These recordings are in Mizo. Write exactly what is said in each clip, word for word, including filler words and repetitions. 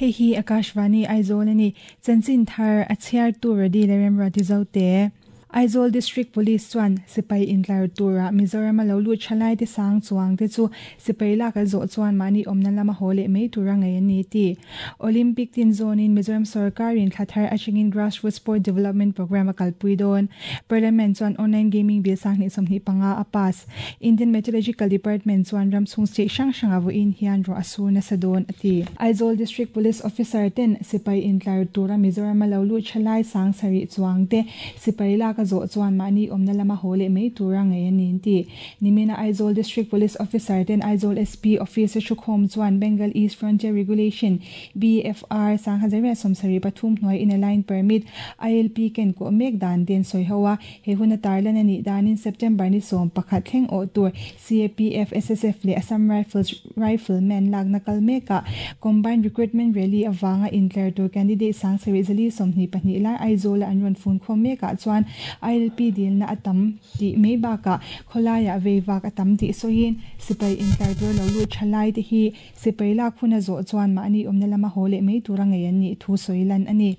Hei hi Akashvani Aizawl ani chanchin thar a chhiar tur radi lerem rati Aizawl District Police chuan sipai intlar tura Mizoram lo lu thalai te sang chuang te chu sipai lak a zo chuan mani omna lama hole mai tura ngai ani ti Olympic tin zone in Mizoram sarkar in thlathar achingin Grassroots Sport Development Program a kalpui don Parliament chuan online gaming bill sang ni somni panga a pass Indian Meteorological Department chuan ramchhung state hrang hrang awu in hian ro asu na sadon ati Aizawl District Police Officer ten sipai intlar tura Mizoram lo lu thalai sang sari chuang te sipai lak ka zo chuan mani omna lama hole mai tura ngai ani ti nimina Aizawl District Police Officer ten Aizawl S P Officer Chukhom chuan Bengal East Frontier Regulation B F R sang hazara somsari pathum hnoi in a line permit I L P ken ko mek dan den soi hawa he huna tarlan ani dan in September ni som pakhat thleng o tur C A P F S S F le Assam Rifles Riflemen lagna kalmeka combined recruitment rally awanga intler tur candidate sang sari zali somni pahnih lai Aizawl an ron phone khom meka chuan I L P dil na atam ti mei baka kholaya veiwak atam ti soin sipai intlar tur lo lu thalai te hi sipai lak khuna zo chuan mani omna lama hole mei tura ngai ani thu soilan ani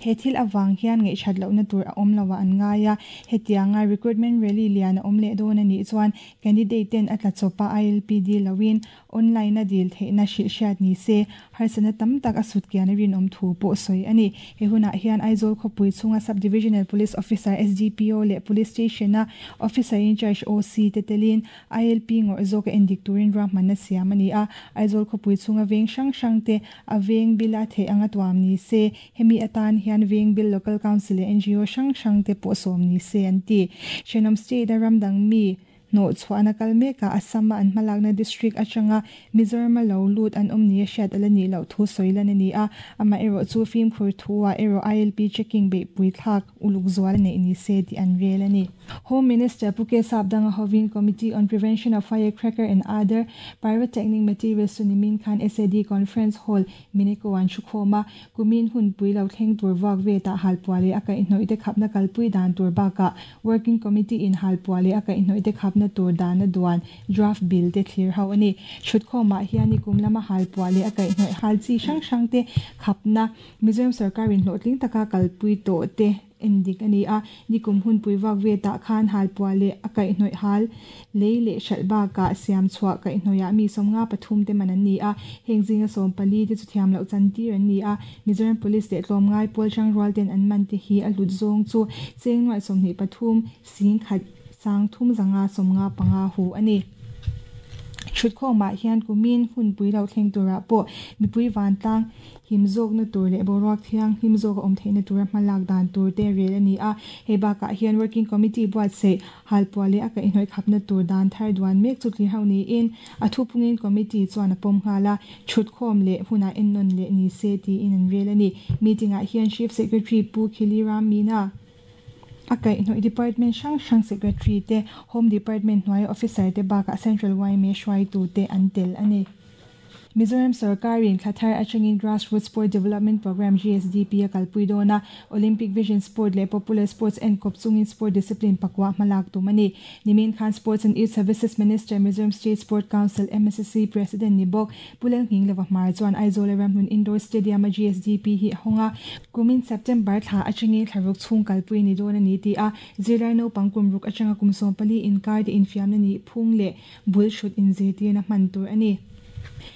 he thil awang hian ngai that lo na tur a om lawa an ngaya hetianga recruitment rally lian om le don ani chuan candidate ten atla chopa I L P D lawin online na deal theina shi shat ni se harsana tam tak asut kian rin om thu po soi ani he huna hian Aizawl khopui chunga subdivisional police officer S D P O le police station na officer in charge O C te telin I L P ngor zoka endik turin rahman na siam ani a Aizawl khopui chunga veng sang sang te aveng bila the anga tuam ni se hemi atan hian veng bil local council N G O sang sang te po som ni se an ti Shenom state ramdang mi no chuana kalmeka Assam an malakna district atanga Mizoram lo lut an omni shat alani lo thu soilan ani a ama ero chu fim khur thuwa ero I L P checking be pui thak uluk zwal ne ni se ti an rel ani Home Minister Puke Sapdanga Hovin Committee on Prevention of Firecracker and Other Pyrotechnic Materials Sunimin Khan S A D Conference Hall Mineko an Chukhoma kumin hun pui lo thleng tur wak ve ta halpuale aka inhoi te khapna kalpui dan tur baka Working Committee in halpuale aka inhoi te khapna tur dana duan draft bill te thlir ho ani chutkhoma hiani kumlama halpuale aka inhoi halchi sang sang te khapna Mizoram sarkar in hlotling taka kalpui to te endik ani a nikum hun puiwak ve ta khan halpuale akai hnoi hal leile shalba ka siam chhuwa kai hnoya mi somnga pathum te man ani a hengzinga som pali te chu thiam lo chan tir ani a Mizoram police te tlom ngai pol chang rual ten an man te hi a lut zong chu chengnuai somni pathum sing khat sang thum zanga somnga panga hu ani chutkhoma hian kumin hun pui lo thleng tura po mipui van tlang himzok na tur le boruak thiang himzok om theina tura hmalak dan tur te rel ani a heba ka hian working committee buat se halpuale aka inhoi khapna tur dan thar duan mek chu thli hauni in athupungin committee chuan a pom nghala chutkhom le huna ennon le ni se ti in an rel ani meeting a hian chief secretary Pu Khiliram Mina akai noi department sang sang secretary te home department noi officer te baka central Y me shwai tu te antel ani Mizoram sarkarin thlathar atangin Grassroots Sport Development Program G S D P a kalpui dona Olympic Vision Sport le Popular Sports and Kopchungin Sport Discipline pakwa malak tumani Nimin Khan Sports and Youth Services Minister Mizoram State Sport Council M S S C President Nibok Puleng Hing Lova Hmar chuan Aizawl Ramhlun Indoor Stadium a G S D P hi honga kumin September thla atangin thlaruk chung kalpui ni dona ni ti a zirlai no pangkum ruk atanga kumsom pali inkar te infiamna ni phung le bul shoot in zirtir na hman tur ani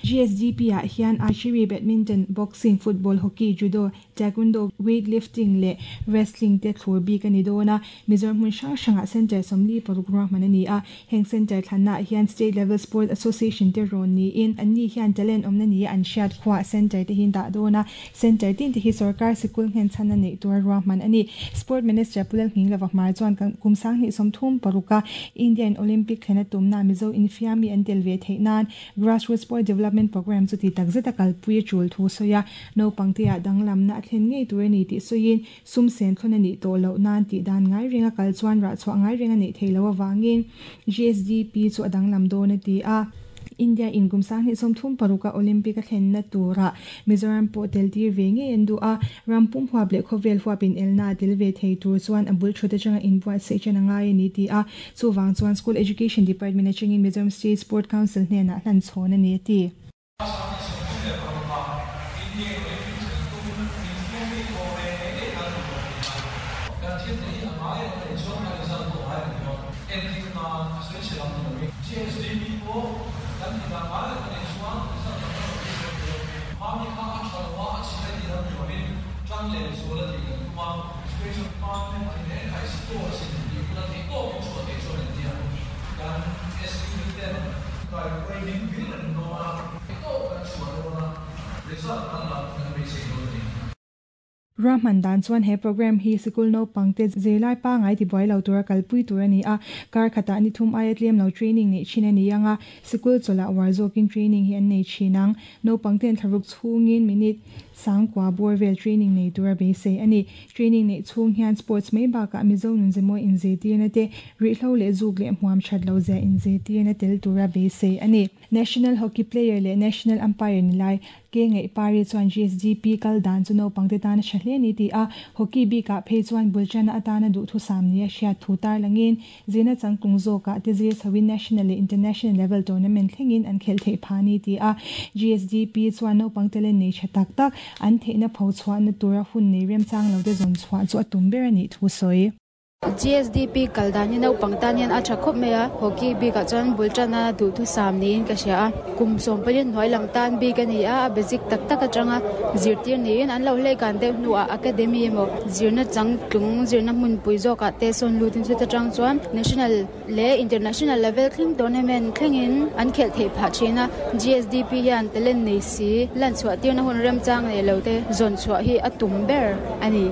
G S D P a hian archery, badminton, boxing, football, hockey, judo, taekwondo, weightlifting le wrestling te thlur bik ani dona Mizoram hmun hrang hranga center somli paruk ruahman ani a heng center thlanna hian state level sport association te rawn ni in anni hian talent awmna ni an hriat khuwa center te hin dah dona center tin te hi sarkar sikul nghen chhan a nei tur ruahman ani Sport Minister Puleng Hing Lova Hmar chuan kumsang hnih sawmthum paruka Indian Olympic thlena tumna Mizo infiami an tel ve theih nan Grassroots Sport Development Program chu ti takzet a kalpui a tul thu soya no pangtea danglam na thlen ngei tur ani ti soin sum sen thon ani to lo nan ti dan ngai ringa kal chuan ra chwa ngai ringa nei theilo awangin G S D P chu adanglam don ati a India in kumsang hi somthum paruka Olympic a thlen na tura Mizoram po tel tir ve nge endu a rampum huap le khovel huapin elna tel ve thei tur chuan abul thute changa inbuat se chana ngai ani ti a chuwang chuan School Education Department achangin Mizoram State Sport Council hne na hlan chhon ani ti India Result pawh ai ni dawn entir nan a sawi chhe lam ni lovin G S D P pawh kan ti dan ngai reng a nih chuan result tam tak a beisei thei lo. Khami kha a tha lo a, a chhia ti lam ni lovin tang leh zual a tih kan tum a. Education Department in e khai sports in tih kula thei tawkin chhuah thei chuan an tia kan S U ten kai hruai bil reng dawn a, thei tawk kan chhuah dawn a, result kan lam kan beisei dawn a ni. Rahman dan chuan he program hi sikul naupang te zirlai pangai ti buai lo tura kalpui tur ani a, kar khata ni thum aia tlem lo training nei thin ani anga, sikul chawla war zawkin training hi an nei thinang. Naupang ten thlaruk chhungin minute sangkua bor vel training nei tura beisei ani. Training nei chhung hian sports mai bakah Mizo nun zemaw in zirtirna te, rihhlo leh zuk leh hmuam that lo zia in zirtirna tel tura beisei ani. National hockey player leh national umpire ni lai ke ngai pari chuan G S D P kal dan chu naupang te tan a tha hle ni ti a, hockey bikah phei chuan bulchana atana duh thu sam ni a hriat thu tar langin zina changtlung zawkah te zir chhoin national leh international level tournament thlengin an khel theih pha ni ti a. G S D P chuan naupang talent nei tha tak tak an theihna pho chhuahna tura hun nei remchang lo te zawn chhuah chu a tum ber ani thu sawi. G S D P kal dan hi naupang tan hian a tha khawp mai a, hockey bikah chuan bultana duh thu sam niin ka hria a, kum sawm palian hnuai lam tan bik ani a, a basic tak tak atanga zirtir niin an lo hlei kan deuh hnuah academy emaw zirna changtlung zirna hmunpui zawkah te sawn lutin chu atang chuan national leh international level thleng tournament thlengin an khelh theih phah thin a. G S D P hian talent nei si lan chhuah tirna hun remchang nei lo te zawn chhuah hi a tum ber ani.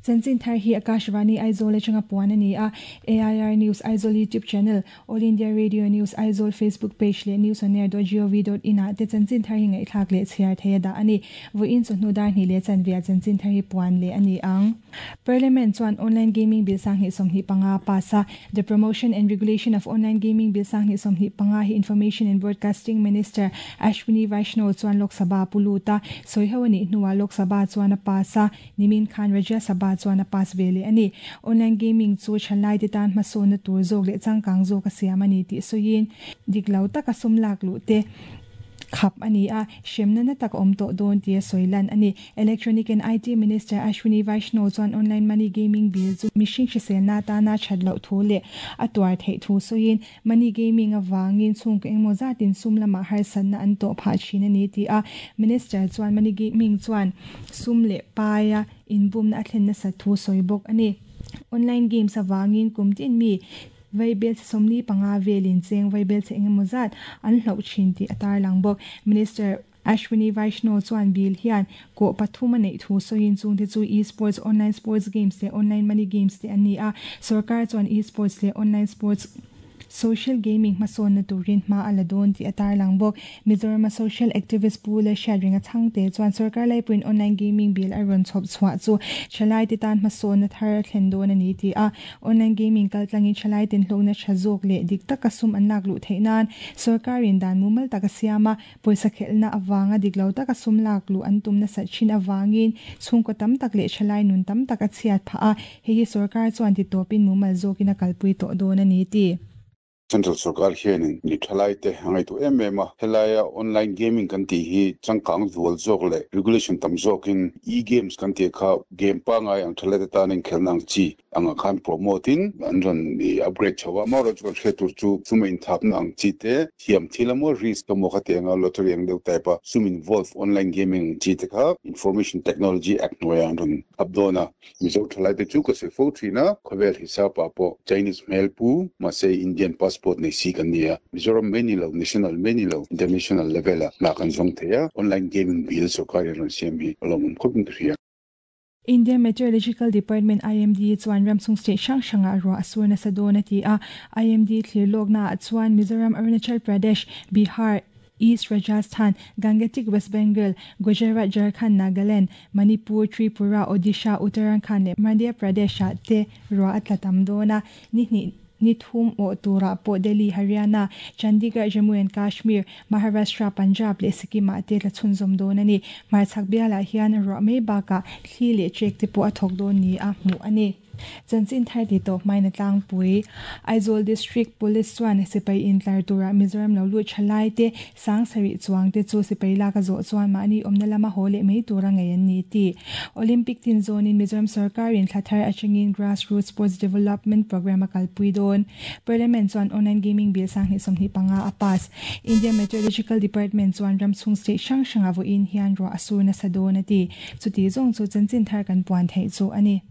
Chanchin thar hi Akashvani Aizawl atanga puan ani a. A I R News Aizawl YouTube channel, All India Radio News Aizawl Facebook page leh news on air dot gov dot in a te chanchin thar hi ngai thlak leh chhiar theia da ani. Voin chu hnu dar ni le chan via chanchin thar hi puan le ani ang. Parliament chuan online gaming bill sang hi somhi panga pasa. The Promotion and Regulation of Online Gaming Bill sang hi somhi panga hi Information and Broadcasting Minister Ashwini Vaishnaw chuan Lok Sabha puluta soi hawani hnuwa Lok Sabha chuan a pasa. Nimin khan Rajya Sabha chuan a pass vele ani. Online gaming chu thalai te tan hmasawn na tur zawk leh changkang zawk a siam ani tih sawiin dik lo taka sum lak luh te khap ani a, hremna na tak awm tawh dawn tia sawilan ani. Electronic and I T Minister Ashwini Vaishnaw chuan online money gaming bill chu mihring hriselna atana that loh thu leh a tuar theih thu sawiin money gaming awangin chhungkaw engmaw zatin sum lamah harsatna an tawh phah thin ani ti a. Minister chuan money gaming chuan sum leh paia inbumna a thlen nasa thu sawi bawk ani. Online games awangin kum tin mi vaibel che somli panga velin cheng vaibel che engemaw zat an hloh thin tih a tarlang bawk. Minister Ashwini Vaishnaw chuan bill hian ko pathum a neih thu sawiin chung te chu e-sports, online sports games leh online money games te ani a. Sarkar chuan e-sports leh online sports social gaming hmasawn na turin hma a la dawn tih a tarlang bawk. Mizoram social activist pu la hriat ringa changte chuan sarkar laipuiin online gaming bill a rawn chhawp chhuah chu thalai te tan hmasawn na thar a thlen dawn ani ti a. Online gaming kaltlangin thalai ten hlawkna tha zawk leh dik taka sum an lak luh theih nan sarkarin dan mumal taka siama pawisa khelhna awanga dik lo taka sum lak luh an tum nasa thin awangin chhungkaw tam tak leh thalai nun tam tak a chhiat phah a, hei hi sarkar chuan ti tawpin mumal zawkin a kalpui tawh dawn ani ti. Central sarkar hianin ni thalai te hangai tu em em a, helaia online gaming kan ti hi changkang zual zawk leh regulation tam zawkin e games kan ti kha game pangai ang thalai te tanin khelna ang chi anga khan promote in an ron ni upgrade chawa ma ro chu hre tur chu sum in thapna ang chi te thiam thilamo risk mo kha te anga lottery ang deuh type a sum involve online gaming chi te kha Information Technology Act noya an ron updona. Mizo thalai te chu ka se fo thina khawvel hisapa po Chinese hmel pu ma se Indian passport nei si kan nia, Mizoram mai ni lo, national mai ni lo, international level a na kan zawng theia online gaming bill sarkar ron siam hi alawm khawpin ka hria. Indian Meteorological Department I M D chuan ramsung state hrang hranga ruah a sur nasa dawn a ti a. I M D thlir lawkna ah chuan Mizoram, Arunachal Pradesh, Bihar, East Rajasthan, Gangetic West Bengal, Gujarat, Jharkhand, Nagaland, Manipur, Tripura, Odisha, Uttarakhand leh Madhya Pradesh ah te ruah a tla tam dawn a. Ni hnih ni thum aw tura pawh Delhi, Haryana, Chandigarh, Jammu and Kashmir, Maharashtra, Punjab leh Sikkim ah te tla chhunzawm dawn ani. Hmarchhak bialah hian ruah mai bakah thli leh trek te pawh a thawk dawn ni a hmuh ani. Chanchin thar ti tawp mai na tlangpui. Aizawl District Police chuan sipai intlar tura Mizoram lo lut thalai te sang sarih chuang te chu sipai lak a zawh chuan mahni awmna lama haw leh mai tura ngei an ni ti. Olympic tin zawnin Mizoram sarkarin thla thar atangin Grassroots Sports Development Program a kalpui dawn. Parliament chuan online gaming bill sanghnih sawmhnih panga a pass. India Meteorological Department chuan ramchhung state hrang hranga vawiin hian ruah a sur nasa dawn a ti. Chuti zawng chu chanchin thar kan puan theih chu a ni.